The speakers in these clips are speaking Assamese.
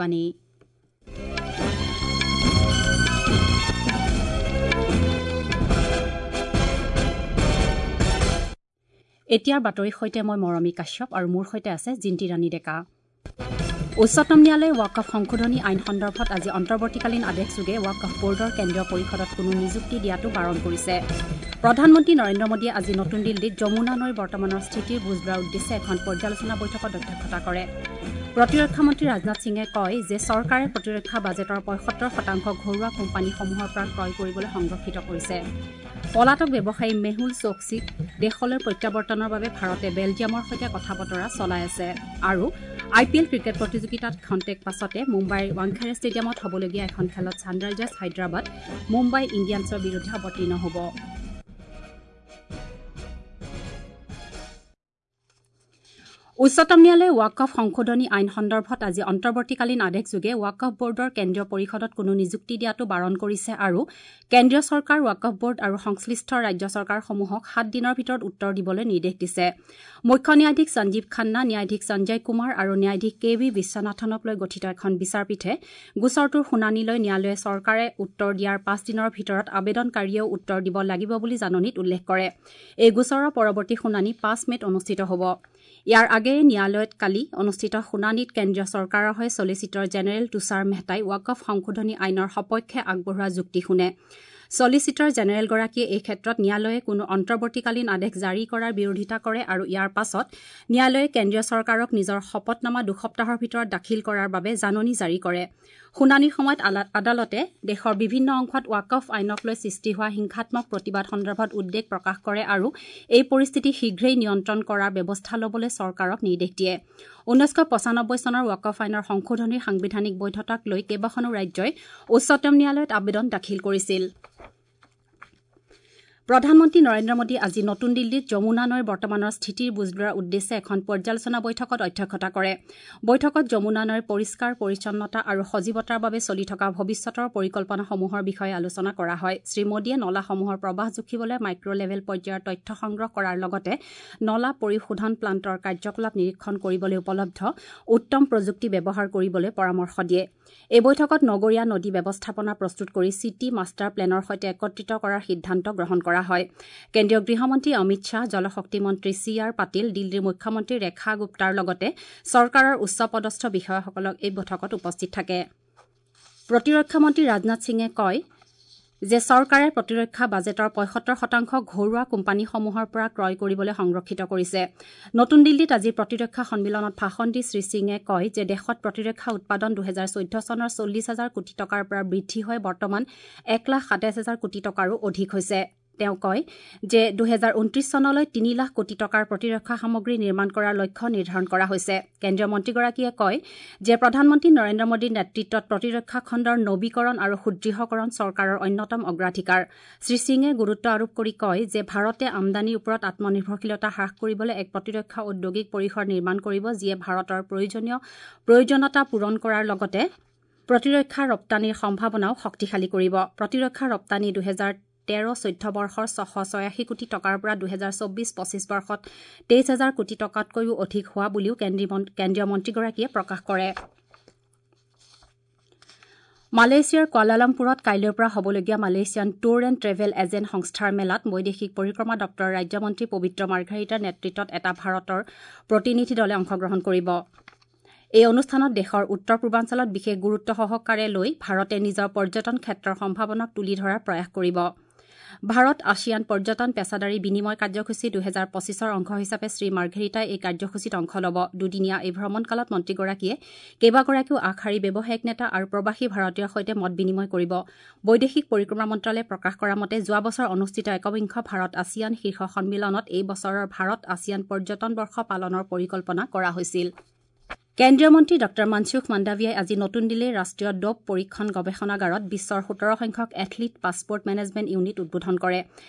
বাণী। এতিয়াৰ বাতৰিৰ সৈতে মই মৰমী কাশ্যপ আৰু মোৰ সৈতে আছে জিন্তি ৰাণী ডেকা। উচ্চতম ন্যায়ালয়ে ৱাকফ সংশোধনী আইন সন্দৰ্ভত আজি অন্তৰ্বৰ্তীকালীন আদেশযোগে ৱাকফ বৰ্ডৰ কেন্দ্ৰীয় পৰিষদত কোনো নিযুক্তি দিয়াটো বাৰণ কৰিছে। প্ৰধানমন্ত্ৰী নৰেন্দ্ৰ মোদীয়ে আজি নতুন দিল্লীত যমুনা নৈৰ বৰ্তমানৰ স্থিতিৰ বুজ লোৱাৰ উদ্দেশ্যে এখন পৰ্যালোচনা বৈঠকত অধ্যক্ষতা কৰে। প্ৰতিৰক্ষা মন্ত্ৰী ৰাজনাথ সিঙে কয় যে চৰকাৰে প্ৰতিৰক্ষা বাজেটৰ ৭৫% ঘৰুৱা কোম্পানীসমূহৰ পৰা ক্ৰয় কৰিবলৈ সংৰক্ষিত কৰিছে। পলাতক ব্যৱসায়ী মেহুল চৌকছিক দেশলৈ প্ৰত্যাৱৰ্তনৰ বাবে ভাৰতে বেলজিয়ামৰ সৈতে কথা বতৰা চলাই আছে। আৰু আই পি এল ক্ৰিকেট প্ৰতিযোগিতাত ক্ষন্তেক পাছতে মুম্বাইৰ ৱাংখেড়ে ষ্টেডিয়ামত হ'বলগীয়া এখন খেলত ছানৰাইজাৰ্ছ হায়দৰাবাদ মুম্বাই ইণ্ডিয়ানছৰ বিৰুদ্ধে অৱতীৰ্ণ হ'ব। উচ্চতম ন্যায়ালয়ে ৱাকফ সংশোধনী আইন সন্দৰ্ভত আজি অন্তৰ্বৰ্তীকালীন আদেশযোগে ৱাকফ বৰ্ডৰ কেন্দ্ৰীয় পৰিষদত কোনো নিযুক্তি দিয়াটো বাৰণ কৰিছে আৰু কেন্দ্ৰীয় চৰকাৰ, ৱাকফ বৰ্ড আৰু সংশ্লিষ্ট ৰাজ্য চৰকাৰসমূহক ৭ দিনৰ ভিতৰত উত্তৰ দিবলৈ নিৰ্দেশ দিছে। মুখ্য ন্যায়াধীশ সঞ্জীৱ খান্না, ন্যায়াধীশ সঞ্জয় কুমাৰ আৰু ন্যায়াধীশ কে ভি বিশ্বনাথনক লৈ গঠিত এখন বিচাৰপীঠে গোচৰটোৰ শুনানি লৈ ন্যায়ালয়ে চৰকাৰে উত্তৰ দিয়াৰ ৫ দিনৰ ভিতৰত আবেদনকাৰীয়েও উত্তৰ দিব লাগিব বুলি জাননীত উল্লেখ কৰে। এই গোচৰৰ পৰৱৰ্তী শুনানি ৫ মে'ত অনুষ্ঠিত হ'ব। ইয়াৰ আগেয়ে ন্যায়ালয়ত কালি অনুষ্ঠিত শুনানিত কেন্দ্ৰীয় চৰকাৰৰ হৈ ছলিচিটৰ জেনেৰেল তুষাৰ মেহতাই ৱাকফ সংশোধনী আইনৰ সপক্ষে আগবঢ়োৱা যুক্তি শুনে। ছলিচিটৰ জেনেৰেলগৰাকীয়ে এই ক্ষেত্ৰত ন্যায়ালয়ে কোনো অন্তৰ্বৰ্তীকালীন আদেশ জাৰি কৰাৰ বিৰোধিতা কৰে আৰু ইয়াৰ পাছত ন্যায়ালয়ে কেন্দ্ৰীয় চৰকাৰক নিজৰ শপতনামা ২ সপ্তাহৰ ভিতৰত দাখিল কৰাৰ বাবে জাননী জাৰি কৰে। শুনানিৰ সময়ত আদালতে দেশৰ বিভিন্ন অংশত ৱাকফ আইনক লৈ সৃষ্টি হোৱা হিংসাত্মক প্ৰতিবাদ সন্দৰ্ভত উদ্বেগ প্ৰকাশ কৰে আৰু এই পৰিস্থিতি শীঘ্ৰেই নিয়ন্ত্ৰণ কৰাৰ ব্যৱস্থা ল'বলৈ চৰকাৰক নিৰ্দেশ দিয়ে। ১৯৯৫ চনৰ ৱাকফ আইনৰ সংশোধনীৰ সাংবিধানিক বৈধতাক লৈ কেইবাখনো ৰাজ্যই উচ্চতম ন্যায়ালয়ত আবেদন দাখিল কৰিছিল। প্ৰধানমন্ত্ৰী নৰেন্দ্ৰ মোদী আজি নতুন দিল্লীত যমুনা নৈৰ বৰ্তমানৰ স্থিতিৰ বুজ লোৱাৰ উদ্দেশ্যে এখন পৰ্যালোচনা বৈঠকত অধ্যক্ষতা কৰে। বৈঠকত যমুনা নৈৰ পৰিষ্কাৰ পৰিচ্ছন্নতা আৰু সজীৱতাৰ বাবে চলি থকা ভৱিষ্যতৰ পৰিকল্পনাসমূহৰ বিষয়ে আলোচনা কৰা হয়। শ্ৰীমোদীয়ে নলাসমূহৰ প্ৰৱাহ জুখিবলৈ মাইক্ৰ' লেভেল পৰ্যায়ৰ তথ্য সংগ্ৰহ কৰাৰ লগতে নলা পৰিশোধন প্লাণ্টৰ কাৰ্যকলাপ নিৰীক্ষণ কৰিবলৈ উপলব্ধ উত্তম প্ৰযুক্তি ব্যৱহাৰ কৰিবলৈ পৰামৰ্শ দিয়ে। এই বৈঠকত নগৰীয়া নদী ব্যৱস্থাপনা প্ৰস্তুত কৰি চিটি মাষ্টাৰ প্লেনৰ সৈতে একত্ৰিত কৰাৰ সিদ্ধান্ত গ্ৰহণ কৰা হয়। কেন্দ্ৰীয় গৃহমন্ত্ৰী অমিত শ্বাহ, জলশক্তি মন্ত্ৰী চি আৰ পাটিল, দিল্লীৰ মুখ্যমন্ত্ৰী ৰেখা গুপ্তাৰ লগতে চৰকাৰৰ উচ্চ পদস্থ বিষয়াসকলক এই বৈঠকত উপস্থিত থাকে। প্ৰতিৰক্ষা মন্ত্ৰী ৰাজনাথ সিঙে কয় যে চৰকাৰে প্ৰতিৰক্ষা বাজেটৰ ৭৫% ঘৰুৱা কোম্পানীসমূহৰ পৰা ক্ৰয় কৰিবলৈ সংৰক্ষিত কৰিছে। নতুন দিল্লীত আজি প্ৰতিৰক্ষা সন্মিলনত ভাষণ দি শ্ৰীসিঙে কয় যে দেশত প্ৰতিৰক্ষা উৎপাদন ২০১৪ চনৰ ৪০ হাজাৰ কোটি টকাৰ পৰা বৃদ্ধি হৈ বৰ্তমান ১,২৭,০০০ কোটি টকাৰো অধিক হৈছে। তেওঁ কয় যে ২০২৯ চনলৈ ৩ লাখ কোটি টকাৰ প্ৰতিৰক্ষা সামগ্ৰী নিৰ্মাণ কৰাৰ লক্ষ্য নিৰ্ধাৰণ কৰা হৈছে। কেন্দ্ৰীয় মন্ত্ৰীগৰাকীয়ে কয় যে প্ৰধানমন্ত্ৰী নৰেন্দ্ৰ মোদীৰ নেতৃত্বত প্ৰতিৰক্ষা খণ্ডৰ নবীকৰণ আৰু সুদৃঢ়কৰণ চৰকাৰৰ অন্যতম অগ্ৰাধিকাৰ। শ্ৰীসিঙে গুৰুত্ব আৰোপ কৰি কয় যে ভাৰতে আমদানিৰ ওপৰত আত্মনিৰ্ভৰশীলতা হ্ৰাস কৰিবলৈ এক প্ৰতিৰক্ষা ঔদ্যোগিক পৰিসৰ নিৰ্মাণ কৰিব, যিয়ে ভাৰতৰ প্ৰয়োজনীয়তা পূৰণ কৰাৰ লগতে প্ৰতিৰক্ষা ৰপ্তানিৰ সম্ভাৱনাও শক্তিশালী কৰিব। প্ৰতিৰক্ষা ৰপ্তানি ২০১৩-১৪ বৰ্ষৰ ৬৮৬ কোটি টকাৰ পৰা ২০২৪-২৫ বৰ্ষত ২৩ হাজাৰ কোটি টকাতকৈও অধিক হোৱা বুলিও কেন্দ্ৰীয় মন্ত্ৰীগৰাকীয়ে প্ৰকাশ কৰে। মালয়েছিয়াৰ কুৱালালামপুৰত কাইলৈৰ পৰা হ'বলগীয়া Malaysian tour and travel agent সংস্থাৰ মেলাত বৈদেশিক পৰিক্ৰমা দপ্তৰৰ ৰাজ্যমন্ত্ৰী পবিত্ৰ মাৰ্ঘেৰিটাৰ নেতৃত্বত এটা ভাৰতৰ প্ৰতিনিধি দলে অংশগ্ৰহণ কৰিব। এই অনুষ্ঠানত দেশৰ উত্তৰ পূৰ্বাঞ্চলত বিশেষ গুৰুত্ব সহকাৰে লৈ ভাৰতে নিজৰ পৰ্যটন ক্ষেত্ৰৰ সম্ভাৱনাক তুলি ধৰাৰ প্ৰয়াস কৰিব। ভাৰত আছিয়ান পৰ্যটন পেছাদাৰী বিনিময় কাৰ্যসূচী ২০২৫ৰ অংশ হিচাপে শ্ৰীমাৰ্ঘেৰিটাই এই কাৰ্যসূচীত অংশ ল'ব। দুদিনীয়া এই ভ্ৰমণকালত মন্ত্ৰীগৰাকীয়ে কেইবাগৰাকীও আগশাৰীৰ ব্যৱসায়িক নেতা আৰু প্ৰৱাসী ভাৰতীয়ৰ সৈতে মত বিনিময় কৰিব। বৈদেশিক পৰিক্ৰমা মন্ত্ৰালয়ে প্ৰকাশ কৰা মতে যোৱা বছৰ অনুষ্ঠিত একবিংশ ভাৰত আছিয়ান শীৰ্ষ সন্মিলনত এই বছৰৰ ভাৰত আছিয়ান পৰ্যটন বৰ্ষ পালনৰ পৰিকল্পনা কৰা হৈছিল। কেন্দ্ৰীয় মন্ত্ৰী ডঃ মনসুখ মাণ্ডাভিয়াই আজি নতুন দিল্লীৰ ৰাষ্ট্ৰীয় ড'প পৰীক্ষণ গৱেষণাগাৰত বিশ্বৰ ১৭ সংখ্যক এথলীট পাছপৰ্ট মেনেজমেণ্ট ইউনিট উদ্বোধন কৰে।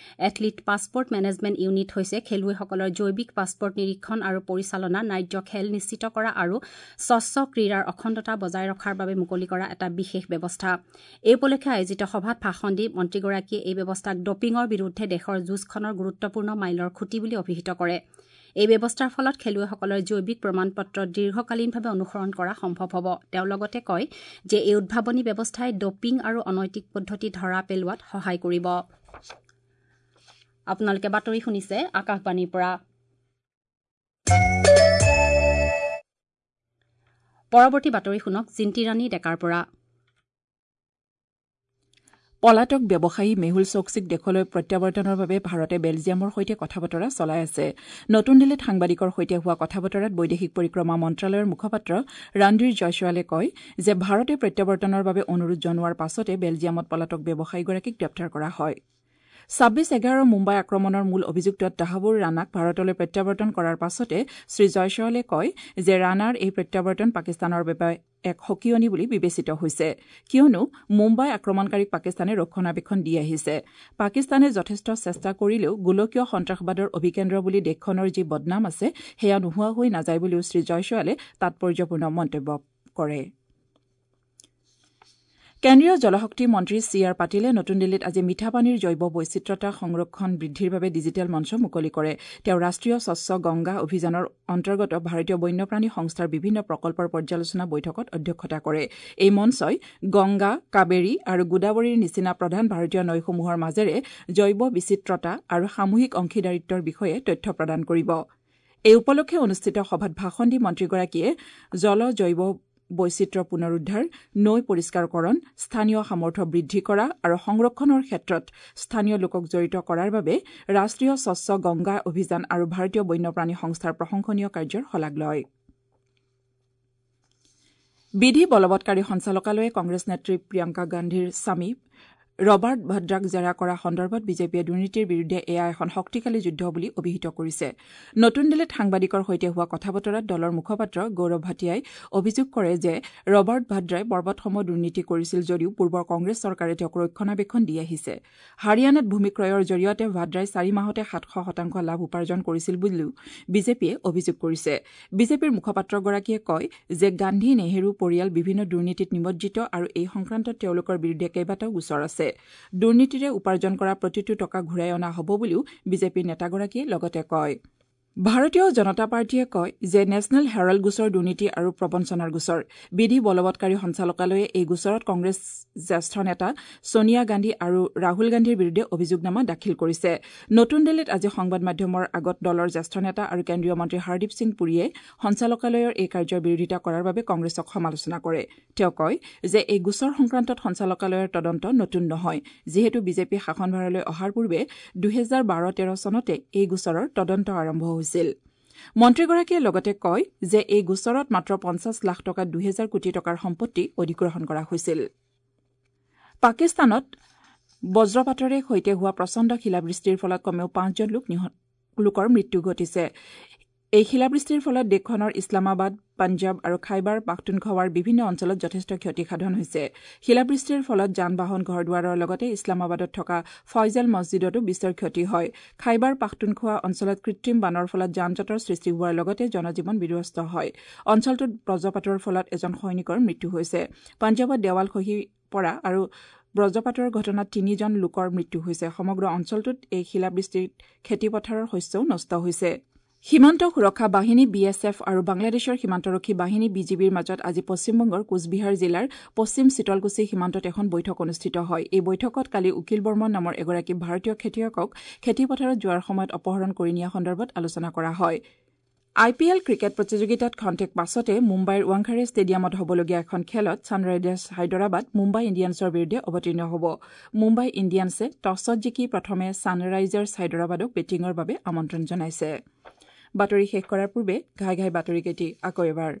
এথলীট পাছপৰ্ট মেনেজমেণ্ট ইউনিট হৈছে খেলুৱৈসকলৰ জৈৱিক পাছপৰ্ট নিৰীক্ষণ আৰু পৰিচালনা, ন্যায্য খেল নিশ্চিত কৰা আৰু স্বচ্ছ ক্ৰীড়াৰ অখণ্ডতা বজাই ৰখাৰ বাবে মুকলি কৰা এটা বিশেষ ব্যৱস্থা। এই উপলক্ষে আয়োজিত সভাত ভাষণ দি মন্ত্ৰীগৰাকীয়ে এই ব্যৱস্থাক ড'পিঙৰ বিৰুদ্ধে দেশৰ যুঁজখনৰ গুৰুত্বপূৰ্ণ মাইলৰ খুঁটি বুলি অভিহিত কৰে। এই ব্যৱস্থাৰ ফলত খেলুৱৈসকলৰ জৈৱিক প্ৰমাণপত্ৰ দীৰ্ঘকালীনভাৱে অনুসৰণ কৰা সম্ভৱ হ'ব। তেওঁ লগতে কয় যে এই উদ্ভাৱনী ব্যৱস্থাই ড'পিং আৰু অনৈতিক পদ্ধতি ধৰা পেলোৱাত সহায় কৰিব। আপোনালোকে বাতৰি শুনিছে আকাশবাণীৰ পৰা। পৰৱৰ্তী বাতৰি শুনক জিন্তিৰাণী ডেকাৰ পৰা। পলাতক ব্যৱসায়ী মেহুল চৌকছিক দেশলৈ প্ৰত্যাৱৰ্তনৰ বাবে ভাৰতে বেলজিয়ামৰ সৈতে কথা বতৰা চলাই আছে। নতুন দিল্লীত সাংবাদিকৰ সৈতে হোৱা কথা বতৰাত বৈদেশিক পৰিক্ৰমা মন্ত্ৰালয়ৰ মুখপাত্ৰ ৰণধীৰ জয়ছোৱালে কয় যে ভাৰতে প্ৰত্যাৱৰ্তনৰ বাবে অনুৰোধ জনোৱাৰ পাছতে বেলজিয়ামত পলাতক ব্যৱসায়ীগৰাকীক গ্ৰেপ্তাৰ কৰা হয়। ২৬/১১ মুম্বাই আক্ৰমণৰ মূল অভিযুক্ত তাহাবুৰ ৰাণাক ভাৰতলৈ প্ৰত্যাৱৰ্তন কৰাৰ পাছতে শ্ৰীজয়ছোৱালে কয় যে ৰাণাৰ এই প্ৰত্যাৱৰ্তন পাকিস্তানৰ বাবে এক সকিয়নী বুলি বিবেচিত হৈছে, কিয়নো মুম্বাই আক্ৰমণকাৰীক পাকিস্তানে ৰক্ষণাবেক্ষণ দি আহিছে। পাকিস্তানে যথেষ্ট চেষ্টা কৰিলেও গোলকীয় সন্ত্ৰাসবাদৰ অভিকেন্দ্ৰ বুলি দেশখনৰ যি বদনাম আছে সেয়া নোহোৱা হৈ নাযায় বুলিও শ্ৰীজয়ছোৱালে তাৎপৰ্যপূৰ্ণ মন্তব্য কৰে। কেন্দ্ৰীয় জলশক্তি মন্ত্ৰী চি আৰ পাটিলে নতুন দিল্লীত আজি মিঠা পানীৰ জৈৱ বৈচিত্ৰতা সংৰক্ষণ বৃদ্ধিৰ বাবে ডিজিটেল মঞ্চ মুকলি কৰে। তেওঁ ৰাষ্ট্ৰীয় স্বচ্ছ গংগা অভিযানৰ অন্তৰ্গত ভাৰতীয় বন্যপ্ৰাণী সংস্থাৰ বিভিন্ন প্ৰকল্পৰ পৰ্যালোচনা বৈঠকত অধ্যক্ষতা কৰে। এই মঞ্চই গংগা, কাবেৰী আৰু গোদাবৰীৰ নিচিনা প্ৰধান ভাৰতীয় নৈসমূহৰ মাজেৰে জৈৱ বিচিত্ৰতা আৰু সামূহিক অংশীদাৰিত্বৰ বিষয়ে তথ্য প্ৰদান কৰিব। এই উপলক্ষে অনুষ্ঠিত সভাত ভাষণ দি মন্ত্ৰীগৰাকীয়ে জল জৈৱ বৈচিত্ৰ্য পুনৰুদ্ধাৰ, নৈ পৰিষ্কাৰকৰণ, স্থানীয় সামৰ্থ্য বৃদ্ধি কৰা আৰু সংৰক্ষণৰ ক্ষেত্ৰত স্থানীয় লোকক জড়িত কৰাৰ বাবে ৰাষ্ট্ৰীয় স্বচ্ছ গংগা অভিযান আৰু ভাৰতীয় বন্যপ্ৰাণী সংস্থাৰ প্ৰশংসনীয় কাৰ্যৰ শলাগ লয়। বিধি বলবৎকাৰী সঞ্চালকালয়ে কংগ্ৰেছ নেত্ৰী প্ৰিয়ংকা গান্ধীৰ স্বামী ৰবাৰ্ট ভদ্ৰাক জেৰা কৰা সন্দৰ্ভত বিজেপিয়ে দুৰ্নীতিৰ বিৰুদ্ধে এয়া এখন শক্তিশালী যুদ্ধ বুলি অভিহিত কৰিছে। নতুন দিল্লীত সাংবাদিকৰ সৈতে হোৱা কথা বতৰাত দলৰ মুখপাত্ৰ গৌৰৱ ভাটিয়াই অভিযোগ কৰে যে ৰবাৰ্ট ভাদ্ৰাই পৰ্বতসম দুৰ্নীতি কৰিছিল যদিও পূৰ্বৰ কংগ্ৰেছ চৰকাৰে তেওঁক ৰক্ষণাবেক্ষণ দি আহিছে। হাৰিয়ানাত ভূমি ক্ৰয়ৰ জৰিয়তে ভাদ্ৰাই ৪ মাহতে ৭০০% লাভ উপাৰ্জন কৰিছিল বুলিও বিজেপিয়ে অভিযোগ কৰিছে। বিজেপিৰ মুখপাত্ৰগৰাকীয়ে কয় যে গান্ধী নেহেৰু পৰিয়াল বিভিন্ন দুৰ্নীতিত নিমজ্জিত আৰু এই সংক্ৰান্তত তেওঁলোকৰ বিৰুদ্ধে কেইবাটাও গোচৰ আছে। দুৰ্নীতিৰে উপাৰ্জন কৰা প্ৰতিটো টকা ঘূৰাই অনা হ'ব বুলিও বিজেপিৰ নেতাগৰাকীয়ে লগতে কয়। ভাৰতীয় জনতা পাৰ্টীয়ে কয় যে নেশ্যনেল হেৰাল্ড গোচৰ দুৰ্নীতি আৰু প্ৰবঞ্চনাৰ গোচৰ। বিধি বলবৎকাৰী সঞ্চালকালয়ে এই গোচৰত কংগ্ৰেছ জ্যেষ্ঠ নেতা ছোনিয়া গান্ধী আৰু ৰাহুল গান্ধীৰ বিৰুদ্ধে অভিযোগনামা দাখিল কৰিছে। নতুন দিল্লীত আজি সংবাদ মাধ্যমৰ আগত দলৰ জ্যেষ্ঠ নেতা আৰু কেন্দ্ৰীয় মন্ত্ৰী হৰদীপ সিং পুৰীয়ে সঞ্চালকালয়ৰ এই কাৰ্যৰ বিৰোধিতা কৰাৰ বাবে কংগ্ৰেছক সমালোচনা কৰে। তেওঁ কয় যে এই গোচৰ সংক্ৰান্তত সঞ্চালকালয়ৰ তদন্ত নতুন নহয়, যিহেতু বিজেপি শাসনভাৰলৈ অহাৰ পূৰ্বে ২০১২-১৩ চনতে এই গোচৰৰ তদন্ত আৰম্ভ হৈছিল। মন্ত্ৰীগৰাকীয়ে লগতে কয় যে এই গোচৰত মাত্ৰ ৫০ লাখ টকাত ২০০০ কোটি টকাৰ সম্পত্তি অধিগ্ৰহণ কৰা হৈছিল। পাকিস্তানত বজ্ৰপাতেৰে সৈতে হোৱা প্ৰচণ্ড শিলাবৃষ্টিৰ ফলত কমেও ৫জন লোকৰ মৃত্যু ঘটিছে। এই শিলাবৃষ্টিৰ ফলত দেশখনৰ ইছলামাবাদ, পাঞ্জাৱ আৰু খাইবাৰ পাখতুনখোৱাৰ বিভিন্ন অঞ্চলত যথেষ্ট ক্ষতিসাধন হৈছে। শিলাবৃষ্টিৰ ফলত যান বাহন, ঘৰ দুৱাৰৰ লগতে ইছলামাবাদত থকা ফয়জাল মছজিদতো বিস্তৰ ক্ষতি হয়। খাইবাৰ পাখতুনখোৱা অঞ্চলত কৃত্ৰিম বানৰ ফলত যান জঁটৰ সৃষ্টি হোৱাৰ লগতে জনজীৱন বিধ্বস্ত হয়। অঞ্চলটোত বজ্ৰপাতৰ ফলত এজন সৈনিকৰ মৃত্যু হৈছে। পাঞ্জাৱত দেৱাল খহি পৰা আৰু বজ্ৰপাতৰ ঘটনাত ৩জন লোকৰ মৃত্যু হৈছে। সমগ্ৰ অঞ্চলটোত এই শিলাবৃষ্টিত খেতিপথাৰৰ শস্যও নষ্ট হৈছে। সীমান্ত সুৰক্ষা বাহিনী বি এছ এফ আৰু বাংলাদেশৰ সীমান্তৰক্ষী বাহিনী বি জি বিৰ মাজত আজি পশ্চিমবংগৰ কোচবিহাৰ জিলাৰ পশ্চিম চিতলকুচি সীমান্তত এখন বৈঠক অনুষ্ঠিত হয়। এই বৈঠকত কালি উকিল বৰ্মন নামৰ এগৰাকী ভাৰতীয় খেতিয়কক খেতিপথাৰত যোৱাৰ সময়ত অপহৰণ কৰি নিয়া সন্দৰ্ভত আলোচনা কৰা হয়। আই পি এল ক্ৰিকেট প্ৰতিযোগিতাত খন্তেক পাছতে মুম্বাইৰ ৱাংখাৰে ষ্টেডিয়ামত হ'বলগীয়া এখন খেলত ছানৰাইজাৰ্ছ হায়দৰাবাদ মুম্বাই ইণ্ডিয়ানছৰ বিৰুদ্ধে অৱতীৰ্ণ হ'ব। মুম্বাই ইণ্ডিয়ানছে টছত জিকি প্ৰথমে ছানৰাইজাৰ্ছ হায়দৰাবাদক বেটিঙৰ বাবে আমন্ত্ৰণ জনাইছে। বাতৰি শেষ কৰাৰ পূৰ্বে ঘাই ঘাই বাতৰিকেইটি আকৌ এবাৰ।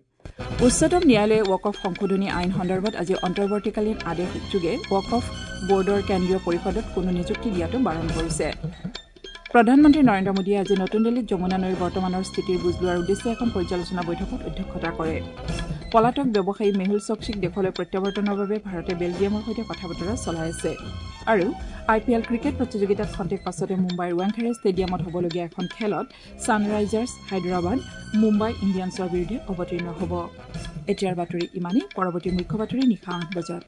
উচ্চতম ন্যায়ালয়ে ৱাকফ সংশোধনী আইন সন্দৰ্ভত আজি অন্তৰ্বৰ্তীকালীন আদেশযোগে ৱাকফ বৰ্ডৰ কেন্দ্ৰীয় পৰিষদত কোনো নিযুক্তি দিয়াটো বাৰণ কৰিছে। প্ৰধানমন্ত্ৰী নৰেন্দ্ৰ মোদীয়ে আজি নতুন দিল্লীত যমুনা নৈৰ বৰ্তমানৰ স্থিতিৰ বুজ লোৱাৰ উদ্দেশ্যে এখন পৰ্যালোচনা বৈঠকত অধ্যক্ষতা কৰে। পলাতক ব্যৱসায়ী মেহুল চৌকছিক দেশলৈ প্ৰত্যাৱৰ্তনৰ বাবে ভাৰতে বেলজিয়ামৰ সৈতে কথা বতৰা চলাই আছে। আৰু আই পি এল ক্ৰিকেট প্ৰতিযোগিতাত খন্তেক পাছতে মুম্বাইৰ ৱাংখাৰে ষ্টেডিয়ামত হ'বলগীয়া এখন খেলত ছানৰাইজাৰ্ছ হায়দৰাবাদ মুম্বাই ইণ্ডিয়ানছৰ বিৰুদ্ধে অৱতীৰ্ণ হ'ব। এতিয়াৰ বাতৰি ইমানেই। পৰৱৰ্তী মুখ্য বাতৰি নিশা ৮ বজাত।